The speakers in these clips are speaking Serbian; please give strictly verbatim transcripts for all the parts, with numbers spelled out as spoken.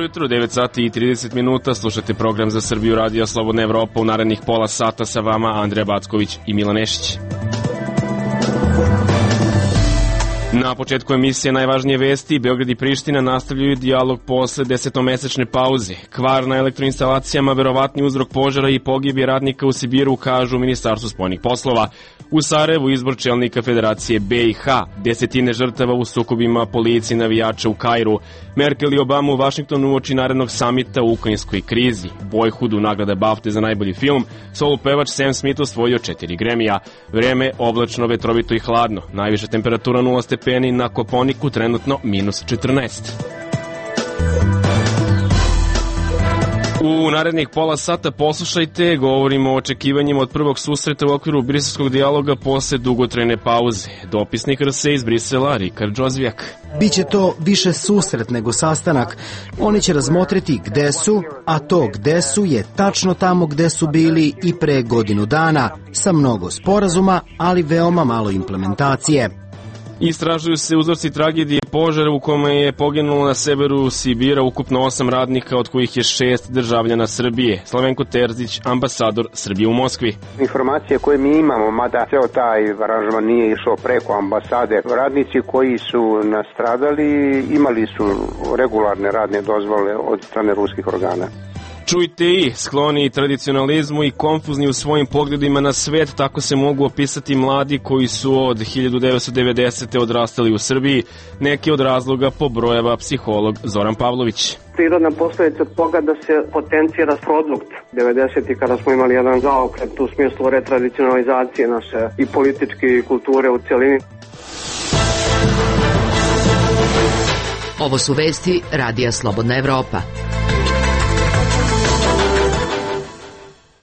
jutro, devet sati i trideset minuta, slušate program za Srbiju Radija Slobodna Evropa. U narednih pola sata sa vama Andreja Backović i Milan Nešić. Na početku emisije najvažnije vesti, Beograd i Priština nastavljaju dijalog posle desetomesečne pauze. Kvar na elektroinstalacijama, verovatni uzrok požara i pogibije radnika u Sibiru, kažu u Ministarstvu spoljnih poslova. U Sarajevu izbor čelnika Federacije B i H, desetine žrtava u sukobima policije i navijača u Kairu. Merkel i Obama u Vašingtonu uoči narednog samita u ukrajinskoj krizi. Boyhoodu nagrada BAFTA za najbolji film. Solo pevač Sam Smith osvojio četiri Gramija. Vreme oblačno, vetrovito i hladno. Najviša temperatura nula stepeni, na Koponiku trenutno minus četrnaest. U narednih pola sata poslušajte, govorimo o očekivanjima od prvog susreta u okviru briselskog dijaloga posle dugotrajne pauze. Dopisnik R S iz Brisela, Rikard Džozvijak. Biće to više susret nego sastanak. Oni će razmotriti gde su, a to gde su je tačno tamo gde su bili i pre godinu dana, sa mnogo sporazuma, ali veoma malo implementacije. Istražuju se uzroci tragedije požara u kome je poginulo na severu Sibira ukupno osam radnika, od kojih je šest državljana Srbije. Slavenko Terzić, ambasador Srbije u Moskvi. Informacije koje mi imamo, mada ceo taj aranžman nije išao preko ambasade, radnici koji su nastradali imali su regularne radne dozvole od strane ruskih organa. Čujte i, skloni tradicionalizmu i konfuzni u svojim pogledima na svet, tako se mogu opisati mladi koji su od hiljadu devetsto devedesete odrastali u Srbiji. Neki od razloga pobrojava psiholog Zoran Pavlović. Prirodna posledica toga da se potencira produkt. devedesetih kada smo imali jedan zaokret u smislu retradicionalizacije naše i političke i kulture u celini. Ovo su vesti Radija Slobodna Evropa.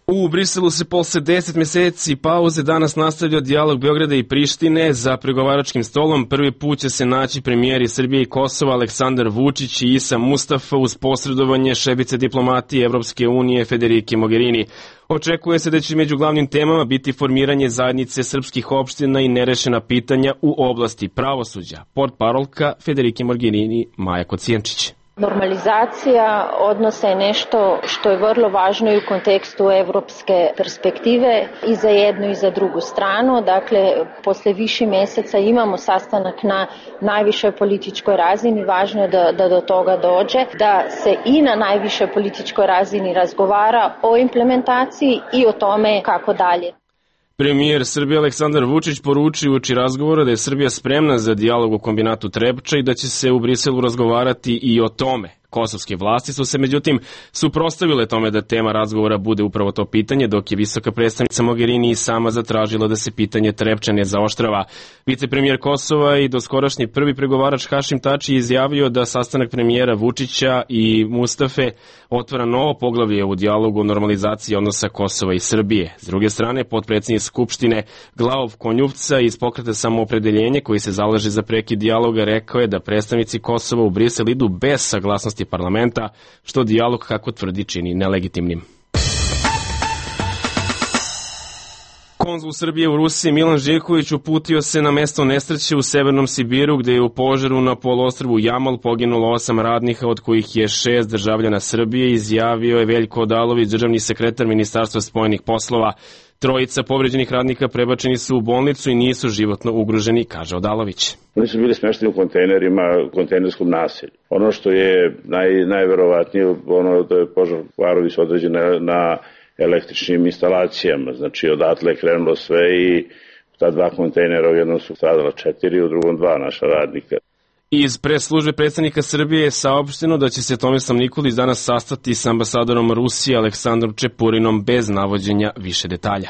U Briselu se posle deset meseci pauze danas nastavlja dijalog Beograda i Prištine. Za pregovaračkim stolom prvi put će se naći premijeri Srbije i Kosova Aleksandar Vučić i Isa Mustafa uz posredovanje šefice diplomatije Evropske unije Federike Mogherini. Očekuje se da će među glavnim temama biti formiranje zajednice srpskih opština i nerešena pitanja u oblasti pravosuđa. Portparolka Federike Mogherini Maja Kocijančić. Normalizacija odnosa je nešto što je vrlo važno i u kontekstu evropske perspektive i za jednu i za drugu stranu. Dakle, posle više meseca imamo sastanak na najvišoj političkoj razini. Važno je da, da do toga dođe, da se i na najvišoj političkoj razini razgovara o implementaciji i o tome kako dalje. Premijer Srbije Aleksandar Vučić poručio uoči razgovora da je Srbija spremna za dijalog u kombinatu Trepča i da će se u Briselu razgovarati i o tome. Kosovske vlasti su se međutim suprotstavile tome da tema razgovora bude upravo to pitanje, dok je visoka predstavnica Mogherini i sama zatražila da se pitanje Trepča ne zaoštrava. Vicepremijer Kosova i doskorašnji prvi pregovarač Hašim Tači izjavio da sastanak premijera Vučića i Mustafe otvara novo poglavlje u dijalogu o normalizaciji odnosa Kosova i Srbije. S druge strane, potpredsednik Skupštine Glavov Konjuvca iz Pokreta Samoopredeljenje, koji se zalaže za prekid dijaloga, rekao je da predstavnici Kosova u Brisel idu bez saglasnosti parlamenta, što dijalog, kako tvrdi, čini nelegitimnim. Konzul Srbije u Rusiji Milan Živković uputio se na mesto nesreće u severnom Sibiru, gde je u požaru na poluostrvu Jamal poginulo osam radnika, od kojih je šest državljana Srbije, izjavio je Veljko Odalović, državni sekretar Ministarstva spoljnih poslova. Trojica povređenih radnika prebačeni su u bolnicu i nisu životno ugroženi, kaže Odalović. Oni su bili smešteni u kontejnerima, u kontejnerskom naselju. Ono što je naj, najverovatnije, ono da je požar kvarovi su određene na električnim instalacijama. Znači, odatle je krenulo sve i ta dva kontejnera, u jednom su stradala četiri, u drugom dva naša radnika. Iz press-službe predsjednika Srbije je saopšteno da će se Tomislav Nikolić danas sastati s ambasadorom Rusije Aleksandrom Čepurinom bez navođenja više detalja.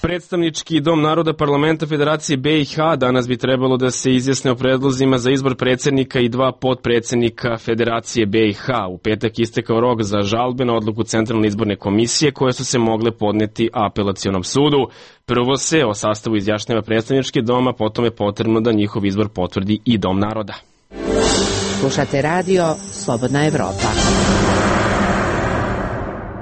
Predstavnički dom naroda parlamenta Federacije B i H danas bi trebalo da se izjasne o predlozima za izbor predsjednika i dva potpredsjednika Federacije B i H. U petak istekao rok za žalbe na odluku Centralne izborne komisije koje su se mogle podneti apelacionom sudu. Prvo se o sastavu izjašnjava predstavnički doma, potom je potrebno da njihov izbor potvrdi i dom naroda. Slušate radio Slobodna Evropa.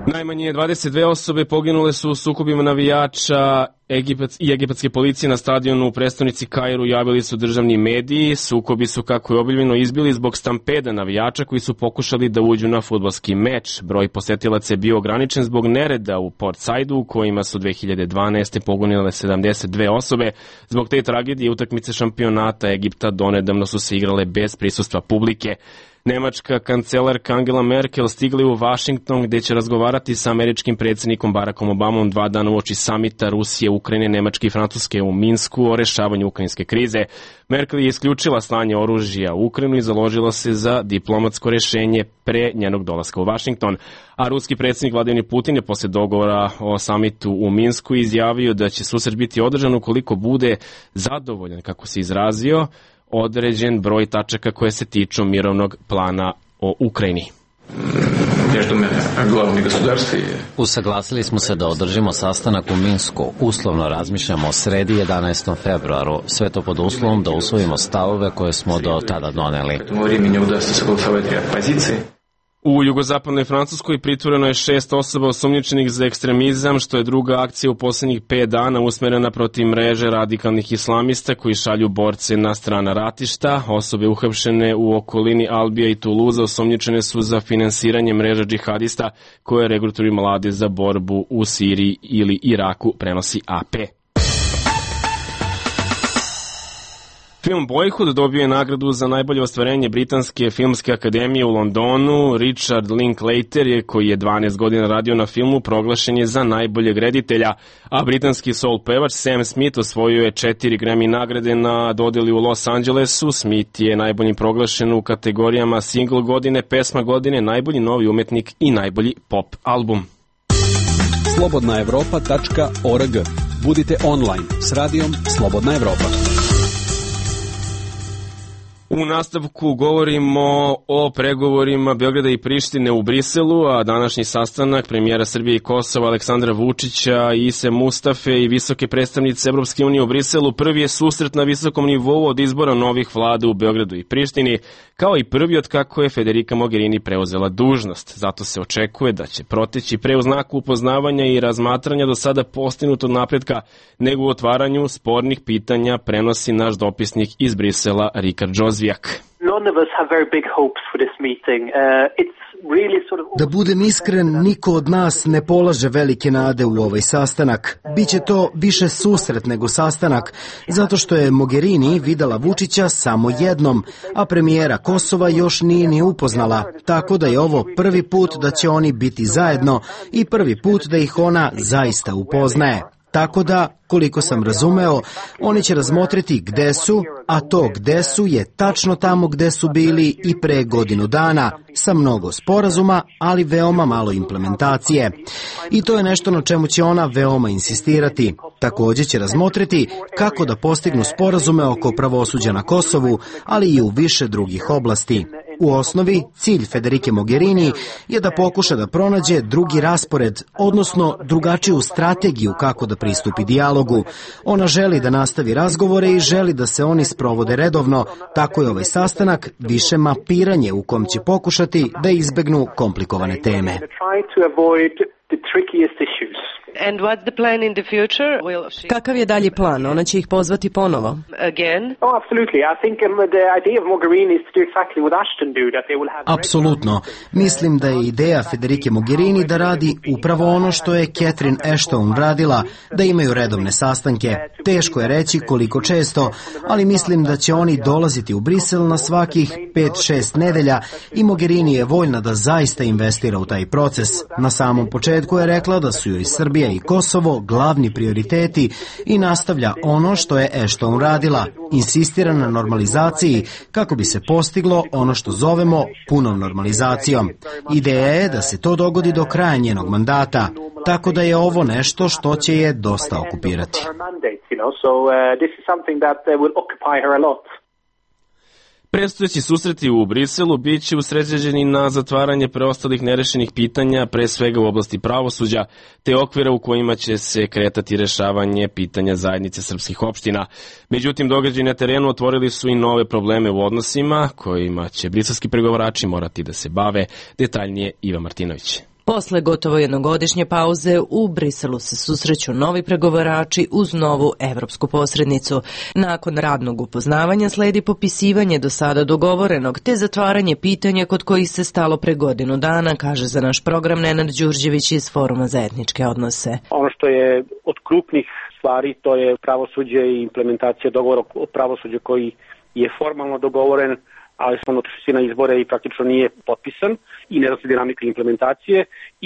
Najmanje dvadeset dve osobe poginule su u sukobima navijača Egipat i egipatske policije na stadionu u prestonici Kairu, javili su državni mediji. Sukobi su, kako je objavljeno, izbili zbog stampeda navijača koji su pokušali da uđu na fudbalski meč. Broj posetilaca je bio ograničen zbog nereda u Port Saidu, u kojima su dve hiljade dvanaeste poginule sedamdeset dve osobe. Zbog te tragedije utakmice šampionata Egipta donedavno su se igrale bez prisustva publike. Nemačka kancelarka Angela Merkel stigla je u Vašington, gde će razgovarati sa američkim predsjednikom Barackom Obamom dva dana uoči samita Rusije, Ukrajine, Nemačke i Francuske u Minsku o rešavanju ukrajinske krize. Merkel je isključila slanje oružja u Ukrajinu i založila se za diplomatsko rešenje pre njenog dolaska u Vašington. A ruski predsjednik Vladimir Putin je posle dogovora o samitu u Minsku izjavio da će susret biti održan ukoliko bude zadovoljan, kako se izrazio, određen broj tačaka koje se tiču mirovnog plana o Ukrajini. Usaglasili smo se da održimo sastanak u Minsku. Uslovno razmišljamo o sredi jedanaestom februaru. Sve to pod uslovom da usvojimo stavove koje smo do tada doneli. U jugozapadnoj Francuskoj pritvoreno je šest osoba osumnjičenih za ekstremizam, što je druga akcija u posljednjih pet dana usmerena protiv mreže radikalnih islamista koji šalju borce na strana ratišta. Osobe uhapšene u okolini Albija i Tuluza osumnjičene su za finansiranje mreža džihadista koje regrutuju mlade za borbu u Siriji ili Iraku, prenosi A P. Film Boyhood dobio je nagradu za najbolje ostvarenje Britanske filmske akademije u Londonu. Richard Linklater, je, koji je dvanaest godina radio na filmu, proglašen je za najboljeg reditelja, a britanski soul pevač Sam Smith osvojio je četiri Grammy nagrade na dodeli u Los Angelesu. Smith je najboljim proglašen u kategorijama single godine, pesma godine, najbolji novi umetnik i najbolji pop album. slobodna evropa tačka org. Budite online s radijom Slobodna Evropa. U nastavku govorimo o pregovorima Beograda i Prištine u Briselu, a današnji sastanak premijera Srbije i Kosova Aleksandra Vučića, Ise Mustafe i visoke predstavnice Evropske unije u Briselu prvi je susret na visokom nivou od izbora novih vlada u Beogradu i Prištini, kao i prvi od kako je Federica Mogherini preuzela dužnost. Zato se očekuje da će proteći pre u znaku upoznavanja i razmatranja do sada postignutog napretka nego u otvaranju spornih pitanja, prenosi naš dopisnik iz Brisela Rikard Džozvijak. Da budem iskren, niko od nas ne polaže velike nade u ovaj sastanak. Biće to više susret nego sastanak, zato što je Mogherini videla Vučića samo jednom, a premijera Kosova još nije ni upoznala, tako da je ovo prvi put da će oni biti zajedno i prvi put da ih ona zaista upoznaje. Tako da, koliko sam razumeo, oni će razmotriti gde su, a to gde su je tačno tamo gde su bili i pre godinu dana, sa mnogo sporazuma, ali veoma malo implementacije. I to je nešto na čemu će ona veoma insistirati. Također će razmotriti kako da postignu sporazume oko pravosuđa na Kosovu, ali i u više drugih oblasti. U osnovi, cilj Federike Mogherini je da pokuša da pronađe drugi raspored, odnosno drugačiju strategiju kako da pristupi dijalogu. Ona želi da nastavi razgovore i želi da se oni sprovode redovno, tako je ovaj sastanak više mapiranje u kom će pokušati da izbegnu komplikovane teme. And what's the plan in the future? Will she... Kakav je dalji plan? Ona će ih pozvati ponovo. Again? Oh, absolutely. I think um, the idea of Mogherini is to do exactly what Ashton do, that they will have... Apsolutno. Mislim da je ideja Federike Mogherini da radi upravo ono što je Catherine Ashton radila, da imaju redovne sastanke. Teško je reći koliko često, ali mislim da će oni dolaziti u Brisel na svakih pet šest nedelja i Mogherini je voljna da zaista investira u taj proces. Na samom početku je rekla da su joj Srbija i Kosovo glavni prioriteti i nastavlja ono što je Ashton radila, insistira na normalizaciji kako bi se postiglo ono što zovemo punom normalizacijom. Ideja je da se to dogodi do kraja njenog mandata, tako da je ovo nešto što će je dosta okupirati. Predstojeći susreti u Briselu bit će usređeni na zatvaranje preostalih nerešenih pitanja, pre svega u oblasti pravosuđa, te okvira u kojima će se kretati rešavanje pitanja zajednice srpskih opština. Međutim, događaji na terenu otvorili su i nove probleme u odnosima, kojima će briselski pregovarači morati da se bave. Detaljnije Iva Martinović. Posle gotovo jednogodišnje pauze u Briselu se susreću novi pregovarači uz novu evropsku posrednicu. Nakon radnog upoznavanja sledi popisivanje do sada dogovorenog te zatvaranje pitanja kod kojih se stalo pre godinu dana, kaže za naš program Nenad Đurđević iz Foruma za etničke odnose. Ono što je od krupnih stvari to je pravosuđe i implementacija dogovora o pravosuđu koji je formalno dogovoren, ali smo otišli na izbore i praktično nije potpisan i ne zna se dinamika implementacije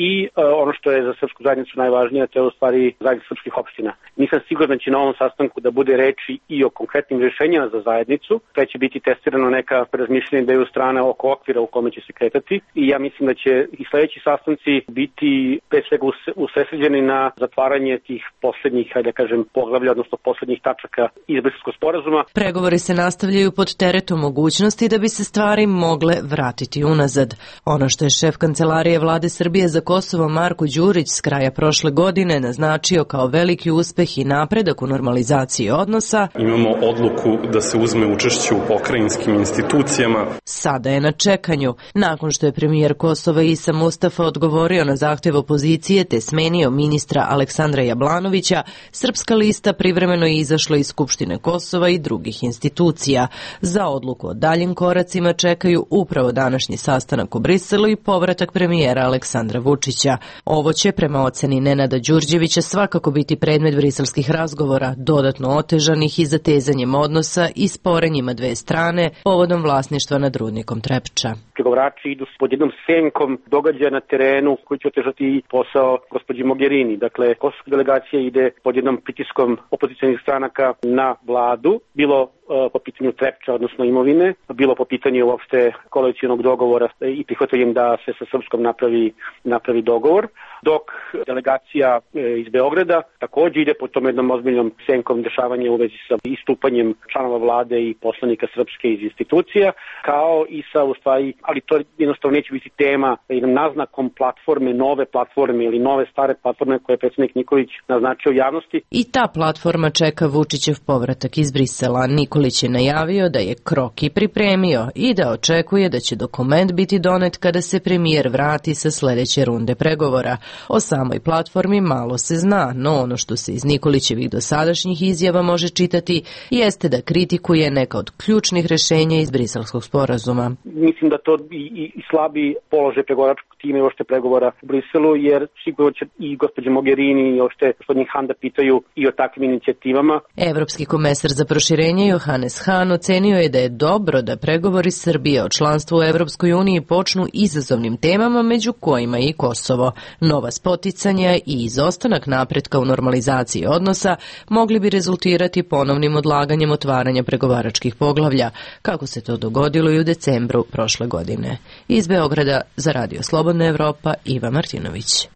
i e, ono što je za srpsku zajednicu najvažnije, to je u stvari zajednica srpskih opština. Nisam siguran da će na ovom sastanku da bude reči i o konkretnim rješenjima za zajednicu, te će biti testirano neka razmišljenja da je u strane oko okvira u kome će se kretati i ja mislim da će i sledeći sastanci biti pre svega usredsređeni na zatvaranje tih poslednjih, hajde da kažem, poglavlja, odnosno poslednjih tačaka iz Briselskog sporazuma. Pregovori se nastavljaju pod teretom mogućnosti da bi se stvari mogle vratiti unazad. Ono što je šef kancelarije vlade Srbije za Kosovo Marko Đurić s kraja prošle godine naznačio kao veliki uspeh i napredak u normalizaciji odnosa. Imamo odluku da se uzme učešće u pokrajinskim institucijama. Sada je na čekanju. Nakon što je premijer Kosova Isa Mustafa odgovorio na zahtev opozicije te smenio ministra Aleksandra Jablanovića, Srpska lista privremeno je izašla iz Skupštine Kosova i drugih institucija. Za odluku o daljim koracima čekaju upravo današnji sastanak u Briselu i povratak premijera Aleksandra Vučića. Ovo će, prema oceni Nenada Đurđevića, svakako biti predmet briselskih razgovora, dodatno otežanih i zatezanjem odnosa i sporenjima dve strane povodom vlasništva nad rudnikom Trepča. Pregovarači idu pod jednom senkom događaja na terenu koji će otežati posao gospođi Mogherini. Dakle, kosovska delegacija ide pod jednom pritiskom opozicionih stranaka na vladu, bilo po pitanju Trepča, odnosno imovine, bilo po pitanju uopšte koalicionog dogovora i prihvatanjem da se sa Srpskom napravi, napravi dogovor, dok delegacija iz Beograda takođe ide po tom jednom ozbiljnom senkom dešavanja u vezi sa istupanjem članova vlade i poslanika Srpske iz institucija, kao i sa, u stvari, ali to jednostavno neće biti tema, jednom naznakom platforme, nove platforme ili nove stare platforme koje je predsjednik Nikolić naznačio javnosti. I ta platforma čeka Vučićev povratak iz Brisela. Nikolić je najavio da je kroki pripremio i da očekuje da će dokument biti donet kada se premijer vrati sa sledeće runde pregovora. O samoj platformi malo se zna, no ono što se iz Nikolićevih dosadašnjih izjava može čitati jeste da kritikuje neka od ključnih rešenja iz Briselskog sporazuma. Mislim da to i, i slabi položaj pregovaračkog tima i ošte pregovora u Briselu, jer sigurno će i gospođa Mogherini i ošte gospodin Han da pitaju i o takvim inicijativama. Evropski komesar za proširenje Johannes Hahn ocenio je da je dobro da pregovori Srbije o članstvu u Evropskoj uniji počnu izazovnim temama, među kojima i Kosovo. Nova spoticanja i izostanak napretka u normalizaciji odnosa mogli bi rezultirati ponovnim odlaganjem otvaranja pregovaračkih poglavlja, kako se to dogodilo i u decembru prošle godine. Iz Beograda za Radio Slobodna Evropa, Iva Martinović.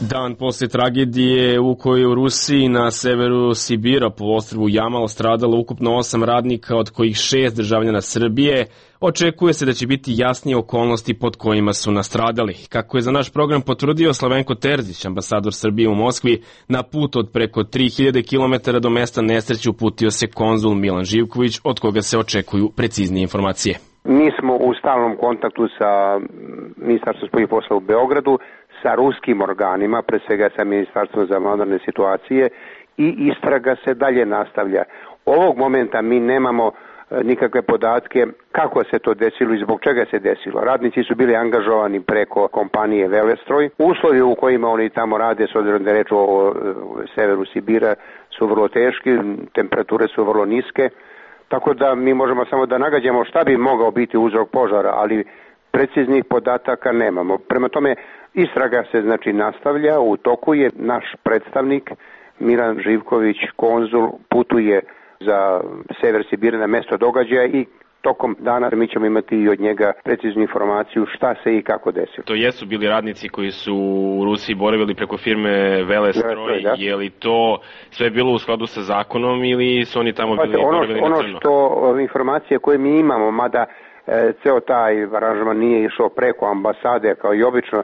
Dan posle tragedije u kojoj u Rusiji na severu Sibira po ostrvu Jamal stradalo ukupno osam radnika, od kojih šest državljana Srbije, očekuje se da će biti jasnije okolnosti pod kojima su nastradali. Kako je za naš program potvrdio Slavenko Terzić, ambasador Srbije u Moskvi, na put od preko tri hiljade kilometara do mesta nesreće uputio se konzul Milan Živković, od koga se očekuju preciznije informacije. Mi smo u stalnom kontaktu sa Ministarstvom spoljnih poslova u Beogradu, sa ruskim organima, pre svega sa Ministarstvom za vanredne situacije, i istraga se dalje nastavlja. Ovog momenta mi nemamo nikakve podatke kako se to desilo i zbog čega se desilo. Radnici su bili angažovani preko kompanije Velestroj. Uslovi u kojima oni tamo rade, s obzirom da je reč o severu Sibira, su vrlo teški, temperature su vrlo niske, tako da mi možemo samo da nagađamo šta bi mogao biti uzrok požara, ali preciznih podataka nemamo. Prema tome, istraga se znači nastavlja, u toku je. Naš predstavnik Milan Živković, konzul, putuje za sever Sibira na mesto događaja i tokom dana mi ćemo imati i od njega preciznu informaciju šta se i kako desilo. To jesu bili radnici koji su u Rusiji boravili preko firme Velestroj, da. Je li to sve bilo u skladu sa zakonom ili su oni tamo bili ono, boravili ono na crno? Ono što informacije koje mi imamo, mada e, ceo taj aranžman nije išao preko ambasade kao i obično,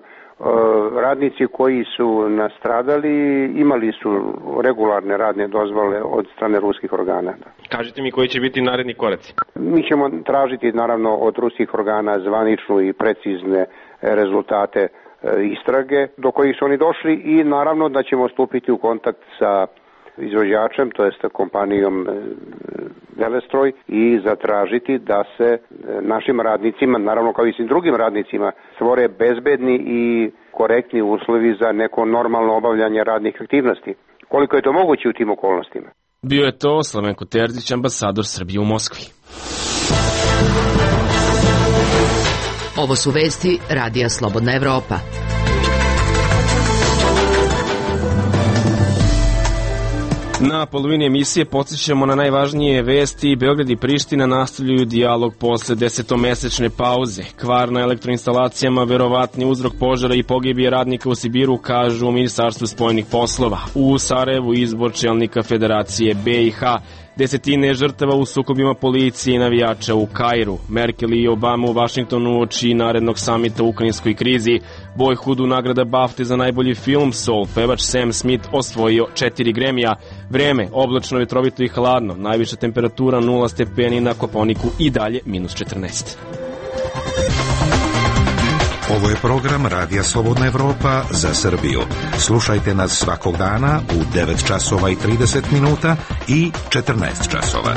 Radnici koji su nastradali imali su regularne radne dozvole od strane ruskih organa. Kažite mi koji će biti naredni koraci? Mi ćemo tražiti naravno od ruskih organa zvaničnu i precizne rezultate istrage do kojih su oni došli i naravno da ćemo stupiti u kontakt sa izvođačem, to jest kompanijom Velestroj i zatražiti da se našim radnicima, naravno kao i svim drugim radnicima, stvore bezbedni i korektni uslovi za neko normalno obavljanje radnih aktivnosti. Koliko je to moguće u tim okolnostima? Bio je to Slavenko Terzić, ambasador Srbije u Moskvi. Ovo su vesti Radija Slobodna Evropa. Na polovini emisije podsjećamo na najvažnije vesti. Beograd i Priština nastavljaju dijalog posle desetomesečne pauze. Kvar na elektroinstalacijama, verovatni uzrok požara i pogibije radnika u Sibiru, kažu u Ministarstvu spoljnih poslova. U Sarajevu izbor čelnika Federacije B i H. Desetine žrtava u sukobima policije i navijača u Kairu. Merkel i Obama u Vašingtonu uoči narednog samita u ukrajinskoj krizi. Boyhoodu nagrada BAFTA za najbolji film. Soul pevač Sam Smith osvojio četiri Grammy-a. Vreme, oblačno, vetrovito i hladno. Najviša temperatura nula stepeni na Koponiku i dalje minus četrnaest. Ovo je program Radija Slobodna Evropa za Srbiju. Slušajte nas svakog dana u devet časova i trideset minuta i četrnaest časova.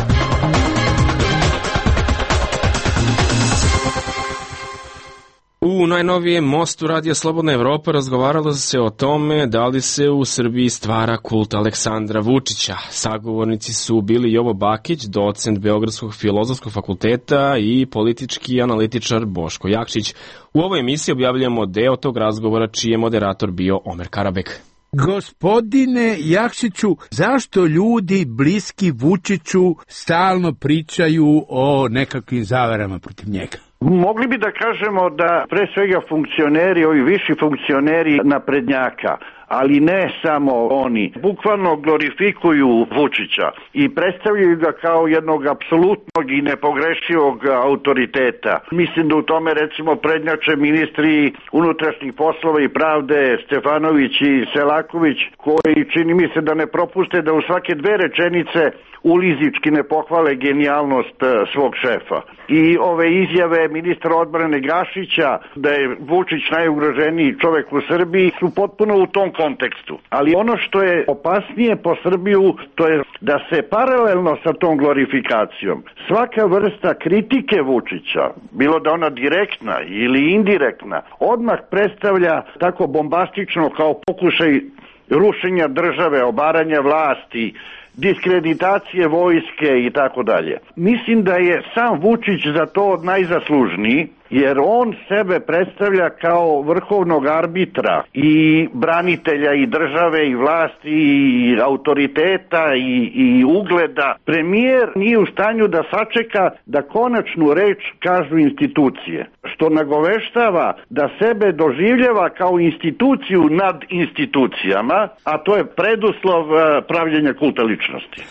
U najnovijem mostu Radija Slobodna Evropa razgovaralo se o tome da li se u Srbiji stvara kult Aleksandra Vučića. Sagovornici su bili Jovo Bakić, docent Beogradskog filozofskog fakulteta i politički analitičar Boško Jakšić. U ovoj emisiji objavljamo deo tog razgovora čiji je moderator bio Omer Karabek. Gospodine Jakšiću, zašto ljudi bliski Vučiću stalno pričaju o nekakvim zaverama protiv njega? Mogli bi da kažemo da pre svega funkcioneri, ovi viši funkcioneri naprednjaka, ali ne samo oni, bukvalno glorifikuju Vučića i predstavljaju ga kao jednog apsolutnog i nepogrešivog autoriteta. Mislim da u tome recimo prednjače ministri unutrašnjih poslova i pravde Stefanović i Selaković, koji čini mi se da ne propuste da u svake dve rečenice ulizički ne pohvale genijalnost svog šefa. I ove izjave ministra odbrane Gašića da je Vučić najugroženiji čovek u Srbiji su potpuno u tom kontekstu. Ali ono što je opasnije po Srbiju, to je da se paralelno sa tom glorifikacijom svaka vrsta kritike Vučića, bilo da ona direktna ili indirektna, odmah predstavlja tako bombastično kao pokušaj rušenja države, obaranja vlasti, diskreditacije vojske i tako dalje. Mislim da je sam Vučić za to najzaslužniji, jer on sebe predstavlja kao vrhovnog arbitra i branitelja i države i vlasti i autoriteta i, i ugleda. Premijer nije u stanju da sačeka da konačnu reč kažu institucije, što nagoveštava da sebe doživljava kao instituciju nad institucijama, a to je preduslov pravljenja kulta ličnosti.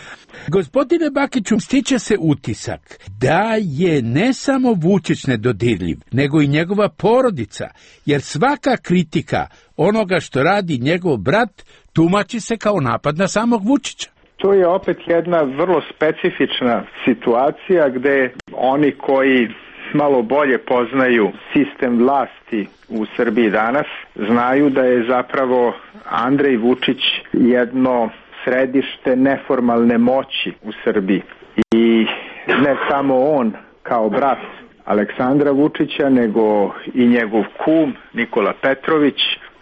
Gospodine Bakiću, stiče se utisak da je ne samo Vučić nedodirljiv, nego i njegova porodica, jer svaka kritika onoga što radi njegov brat tumači se kao napad na samog Vučića. To je opet jedna vrlo specifična situacija gde oni koji malo bolje poznaju sistem vlasti u Srbiji danas znaju da je zapravo Andrej Vučić jedno središte neformalne moći u Srbiji. I ne samo on kao brat Aleksandra Vučića, nego i njegov kum Nikola Petrović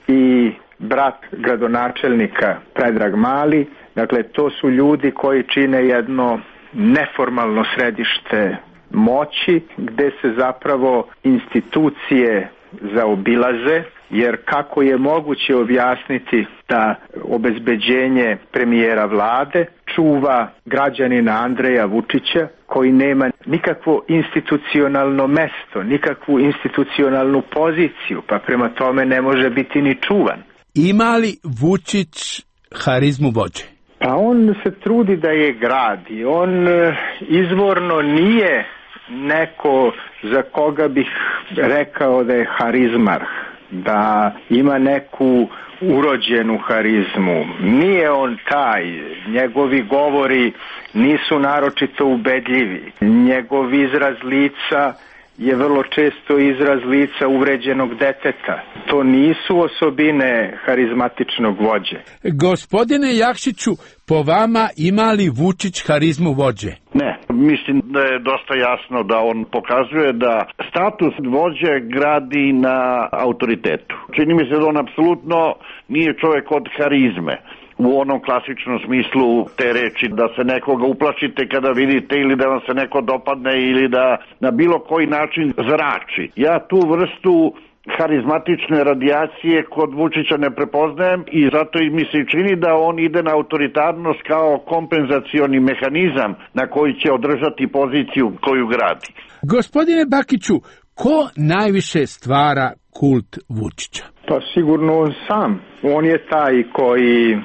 i brat gradonačelnika Predrag Mali. Dakle, to su ljudi koji čine jedno neformalno središte moći gde se zapravo institucije zaobilaze, jer kako je moguće objasniti da obezbeđenje premijera vlade čuva građanina Andreja Vučića koji nema nikakvo institucionalno mesto, nikakvu institucionalnu poziciju, pa prema tome ne može biti ni čuvan. Ima li Vučić harizmu vođe? Pa on se trudi da je gradi. On izvorno nije neko za koga bih rekao da je harizmar. da ima neku urođenu harizmu. Nije on taj, njegovi govori nisu naročito ubedljivi. Njegov izraz lica je vrlo često izraz lica uvređenog deteta. To nisu osobine harizmatičnog vođe. Gospodine Jakšiću, po vama ima li Vučić harizmu vođe? Ne, mislim da je dosta jasno da on pokazuje da status vođe gradi na autoritetu. Čini mi se da on apsolutno nije čovjek od harizme. U onom klasičnom smislu te reči da se nekoga uplašite kada vidite ili da vam se neko dopadne ili da na bilo koji način zrači. Ja tu vrstu harizmatične radijacije kod Vučića ne prepoznajem i zato mi se čini da on ide na autoritarnost kao kompenzacioni mehanizam na koji će održati poziciju koju gradi. Gospodine Bakiću, ko najviše stvara kult Vučića? Pa sigurno on sam. On je taj koji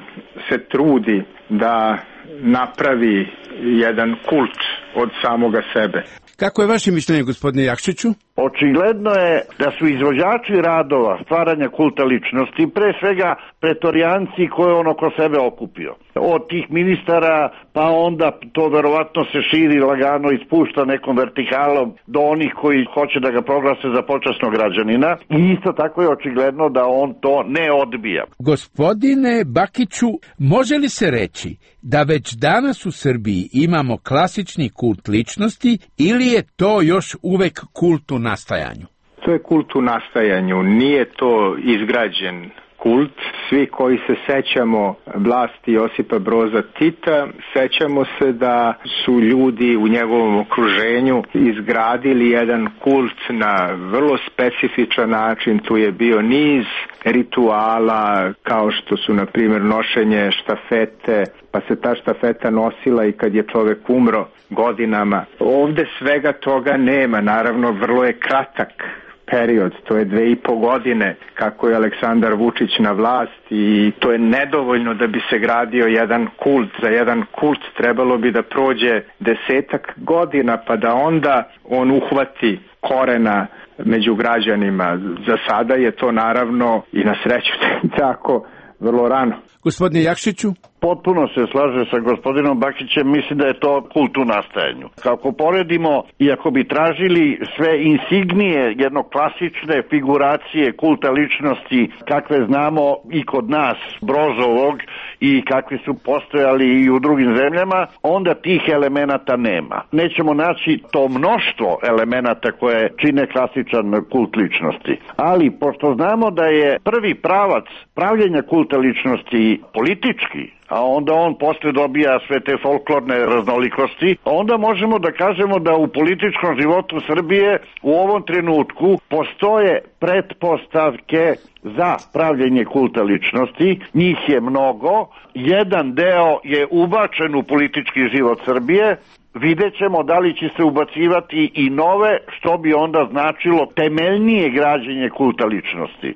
se trudi da napravi jedan kult od samoga sebe. Kako je vaše mišljenje, gospodine Jakšiću? Očigledno je da su izvođači radova stvaranja kulta ličnosti pre svega pretorijanci koje on oko sebe okupio. Od tih ministara pa onda to verovatno se širi lagano i spušta nekom vertikalom do onih koji hoće da ga proglase za počasnog građanina i isto tako je očigledno da on to ne odbija. Gospodine Bakiću, može li se reći da već danas u Srbiji imamo klasični kult ličnosti ili je to još uvek kult u nastajanju? To je kult u nastajanju, nije to izgrađen kult. Svi koji se sećamo vlasti Josipa Broza Tita, sećamo se da su ljudi u njegovom okruženju izgradili jedan kult na vrlo specifičan način. Tu je bio niz rituala kao što su na primjer nošenje štafete, pa se ta štafeta nosila i kad je čovek umro godinama. Ovde svega toga nema, naravno vrlo je kratak period, to je dve i po godine kako je Aleksandar Vučić na vlasti i to je nedovoljno da bi se gradio jedan kult. Za jedan kult trebalo bi da prođe desetak godina pa da onda on uhvati korena među građanima. Za sada je to naravno i na sreću tako vrlo rano. Gospodine Jakšiću? Potpuno se slaže sa gospodinom Bakićem, mislim da je to kult u nastajanju. Kako poredimo, i ako bi tražili sve insignije jedno klasične figuracije kulta ličnosti kakve znamo i kod nas, Brozovog, i kakvi su postojali i u drugim zemljama, onda tih elemenata nema. Nećemo naći to mnoštvo elemenata koje čine klasičan kult ličnosti. Ali, pošto znamo da je prvi pravac pravljenja kulta ličnosti politički, a onda on posle dobija sve te folklorne raznolikosti, onda možemo da kažemo da u političkom životu Srbije u ovom trenutku postoje pretpostavke za pravljenje kulta ličnosti. Njih je mnogo, jedan deo je ubačen u politički život Srbije, vidjet ćemo da li će se ubacivati i nove, što bi onda značilo temeljnije građenje kulta ličnosti.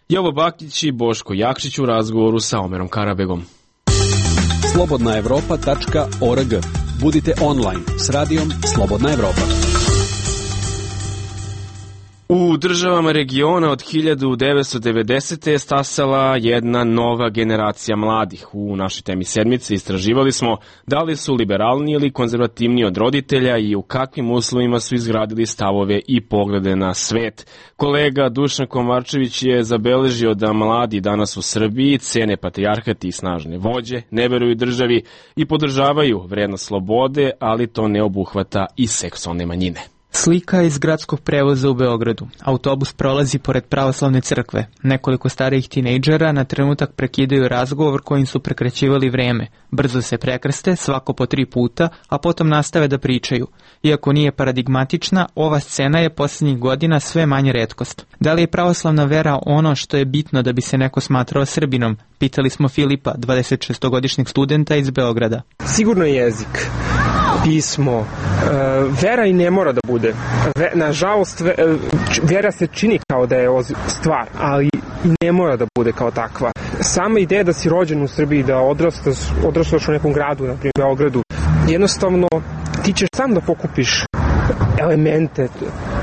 Jovo Bakić i Boško Jakšić u razgovoru sa Omerom Karabegom. slobodna evropa tačka org. Budite online s radijom Slobodna Evropa. U državama regiona od hiljadu devetsto devedesete. je stasala jedna nova generacija mladih. U našoj temi sedmice istraživali smo da li su liberalni ili konzervativni od roditelja i u kakvim uslovima su izgradili stavove i poglede na svet. Kolega Dušan Komarčević je zabeležio da mladi danas u Srbiji cene patrijarhat i snažne vođe, ne veruju državi i podržavaju vrednost slobode, ali to ne obuhvata i seksualne manjine. Slika iz gradskog prevoza u Beogradu. Autobus prolazi pored pravoslavne crkve. Nekoliko starijih tinejdžera na trenutak prekidaju razgovor kojim su prekraćivali vreme. Brzo se prekrste, svako po tri puta, a potom nastave da pričaju. Iako nije paradigmatična, ova scena je posljednjih godina sve manje retkost. Da li je pravoslavna vera ono što je bitno da bi se neko smatrao Srbinom? Pitali smo Filipa, dvadesetšestogodišnjeg studenta iz Beograda. Sigurno jezik, pismo, vera i ne mora da bude. Nažalost, vera se čini kao da je stvar, ali i ne mora da bude kao takva. Sama ideja da si rođen u Srbiji, da odrastaš, odrastaš u nekom gradu, na primjer Beogradu, jednostavno ti ćeš sam da pokupiš elemente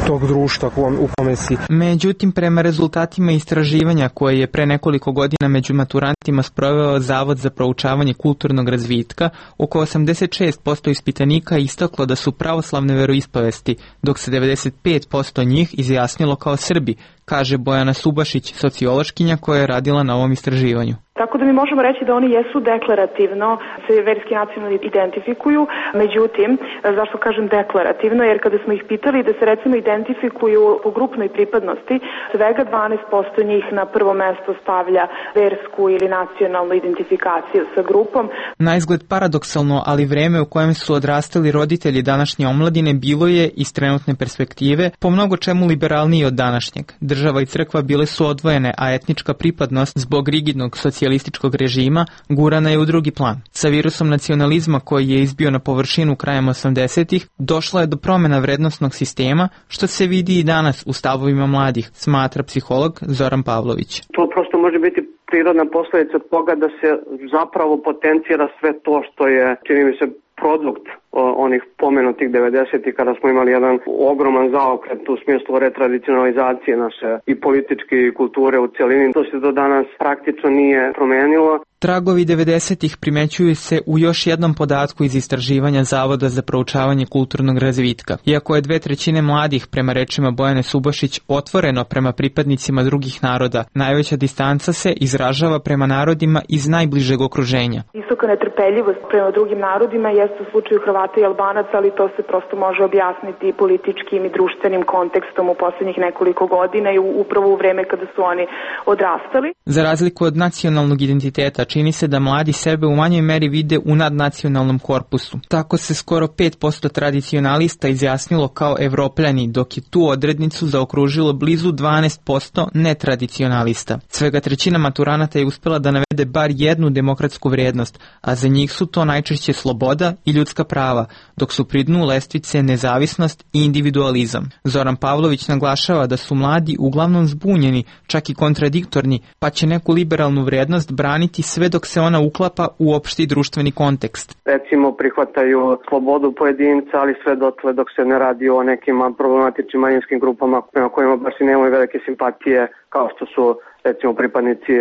tog društva u kome si. Međutim, prema rezultatima istraživanja koje je pre nekoliko godina među maturantima sproveo Zavod za proučavanje kulturnog razvitka, oko osamdeset šest posto ispitanika istaklo da su pravoslavne veroispovesti, dok se devedeset pet posto njih izjasnilo kao Srbi, kaže Bojana Subašić, sociološkinja koja je radila na ovom istraživanju. Tako da mi možemo reći da oni jesu deklarativno, se verski nacionalno identifikuju, međutim, zašto kažem deklarativno, jer kada smo ih pitali da se recimo identifikuju po grupnoj pripadnosti, svega dvanaest posto njih na prvo mesto stavlja versku ili nacionalnu identifikaciju sa grupom. Na izgled paradoksalno, ali vreme u kojem su odrastali roditelji današnje omladine bilo je, iz trenutne perspektive, po mnogo čemu liberalniji od današnjeg. Država i crkva bile su odvojene, a etnička pripadnost zbog rigidnog socijalističkog režima gurana je u drugi plan. Sa virusom nacionalizma koji je izbio na površinu krajem osamdesetih, došlo je do promjena vrednostnog sistema, što se vidi i danas u stavovima mladih, smatra psiholog Zoran Pavlović. To prosto može biti prirodna posljedica toga da se zapravo potencira sve to što je, čini mi se, produkt onih pomenutih devedesetih kada smo imali jedan ogroman zaokret u smislu retradicionalizacije naše i političke i kulture u celini. To se do danas praktično nije promenilo. Tragovi devedesetih primećuju se u još jednom podatku iz istraživanja Zavoda za proučavanje kulturnog razvitka. Iako je dve trećine mladih, prema rečima Bojane Subašić, otvoreno prema pripadnicima drugih naroda, najveća distanca se izražava prema narodima iz najbližeg okruženja. Visoka netrpeljivost prema drugim narodima jeste u slučaju Hrvata i Albanaca, ali to se prosto može objasniti političkim i društvenim kontekstom u posljednjih nekoliko godina i upravo u vreme kada su oni odrastali. Za razliku od nacionalnog identiteta, čini se da mladi sebe u manjoj meri vide u nadnacionalnom korpusu. Tako se skoro pet posto tradicionalista izjasnilo kao Evropljani, dok je tu odrednicu zaokružilo blizu dvanaest posto netradicionalista. Svega trećina maturanata je uspela da navede bar jednu demokratsku vrijednost, a za njih su to najčešće sloboda i ljudska prava, dok su pri dnu lestvice nezavisnost i individualizam. Zoran Pavlović naglašava da su mladi uglavnom zbunjeni, čak i kontradiktorni, pa će neku liberalnu vrijednost braniti sve dok se ona uklapa u opšti društveni kontekst. Recimo prihvataju slobodu pojedinca, ali sve dotle dok se ne radi o nekim problematičnim manjinskim grupama prema kojima baš i nemaju velike simpatije, kao što su recimo pripadnici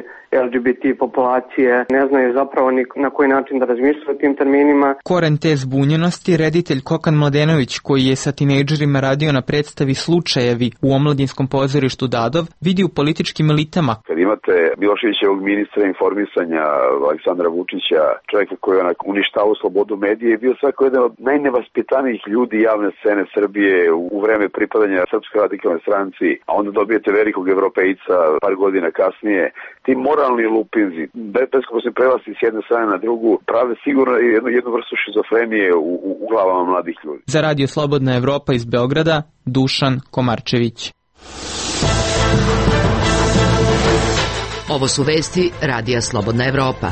L G B T populacije, ne znaju zapravo ni na koji način da razmišljaju o tim terminima. Koren te zbunjenosti reditelj Kokan Mladenović, koji je sa tinejdžerima radio na predstavi Slučajevi u omladinskom pozorištu Dadov, vidi u političkim elitama. Kad imate Miloševićevog ministra informisanja Aleksandra Vučića, čovjeka koji je uništavao slobodu medije, je bio svako jedan od najnevaspitanijih ljudi javne scene Srbije u vreme pripadanja Srpskoj radikalnoj stranci, a onda dobijete velikog evropejca par godina kasnije. Ti moralni lupinzi, beskoposni prelasci s jedne strane na drugu, prave sigurno jednu, jednu vrstu šizofrenije u, u, u glavama mladih ljudi. Za Radio Slobodna Evropa iz Beograda, Dušan Komarčević. Ovo su vesti Radija Slobodna Evropa.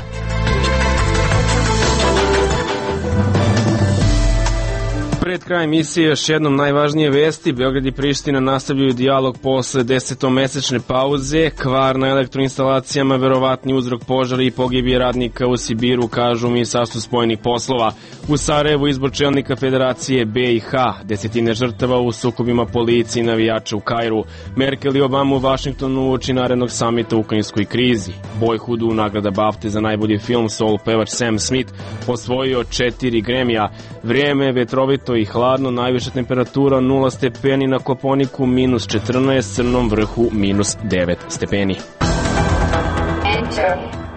Pred kraj emisije još jednom najvažnije vesti. Beograd i Priština nastavljaju dijalog posle desetomesečne pauze. Kvar na elektroinstalacijama, verovatni uzrok požara i pogibije radnika u Sibiru, kažu u Ministarstvu spoljnih poslova. U Sarajevu izbor čelnika Federacije B i H, desetine žrtava u sukobima policije i navijača u Kairu. Merkel i Obama u Vašingtonu uoči narednog samita u ukrajinskoj krizi. Boyhoodu nagrada BAFTA za najbolji film, soul pevač Sam Smith osvojio četiri Grammy-a. Vrijeme vetrovito i hladno, najviša temperatura nula stepeni na Koponiku, minus četrnaest, Crnom vrhu minus devet stepeni.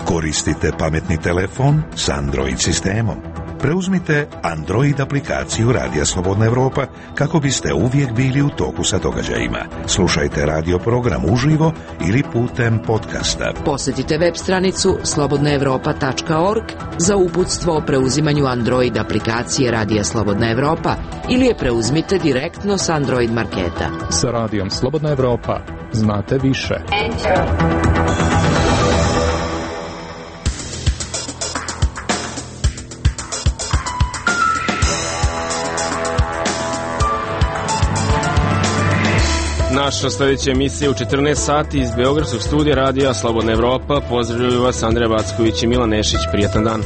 Koristite pametni telefon s Android sistemom. Preuzmite Android aplikaciju Radija Slobodna Evropa kako biste uvijek bili u toku sa događajima. Slušajte radio program uživo ili putem podcasta. Posjetite web stranicu slobodna evropa tačka org za uputstvo o preuzimanju Android aplikacije Radija Slobodna Evropa ili je preuzmite direktno s Android marketa. Sa Radijom Slobodna Evropa znate više. Naša sljedeća emisija u četrnaest sati iz Beogradskog studija Radija Slobodna Evropa. Pozdravljaju vas Andreja Backović i Milan Nešić. Prijatan dan.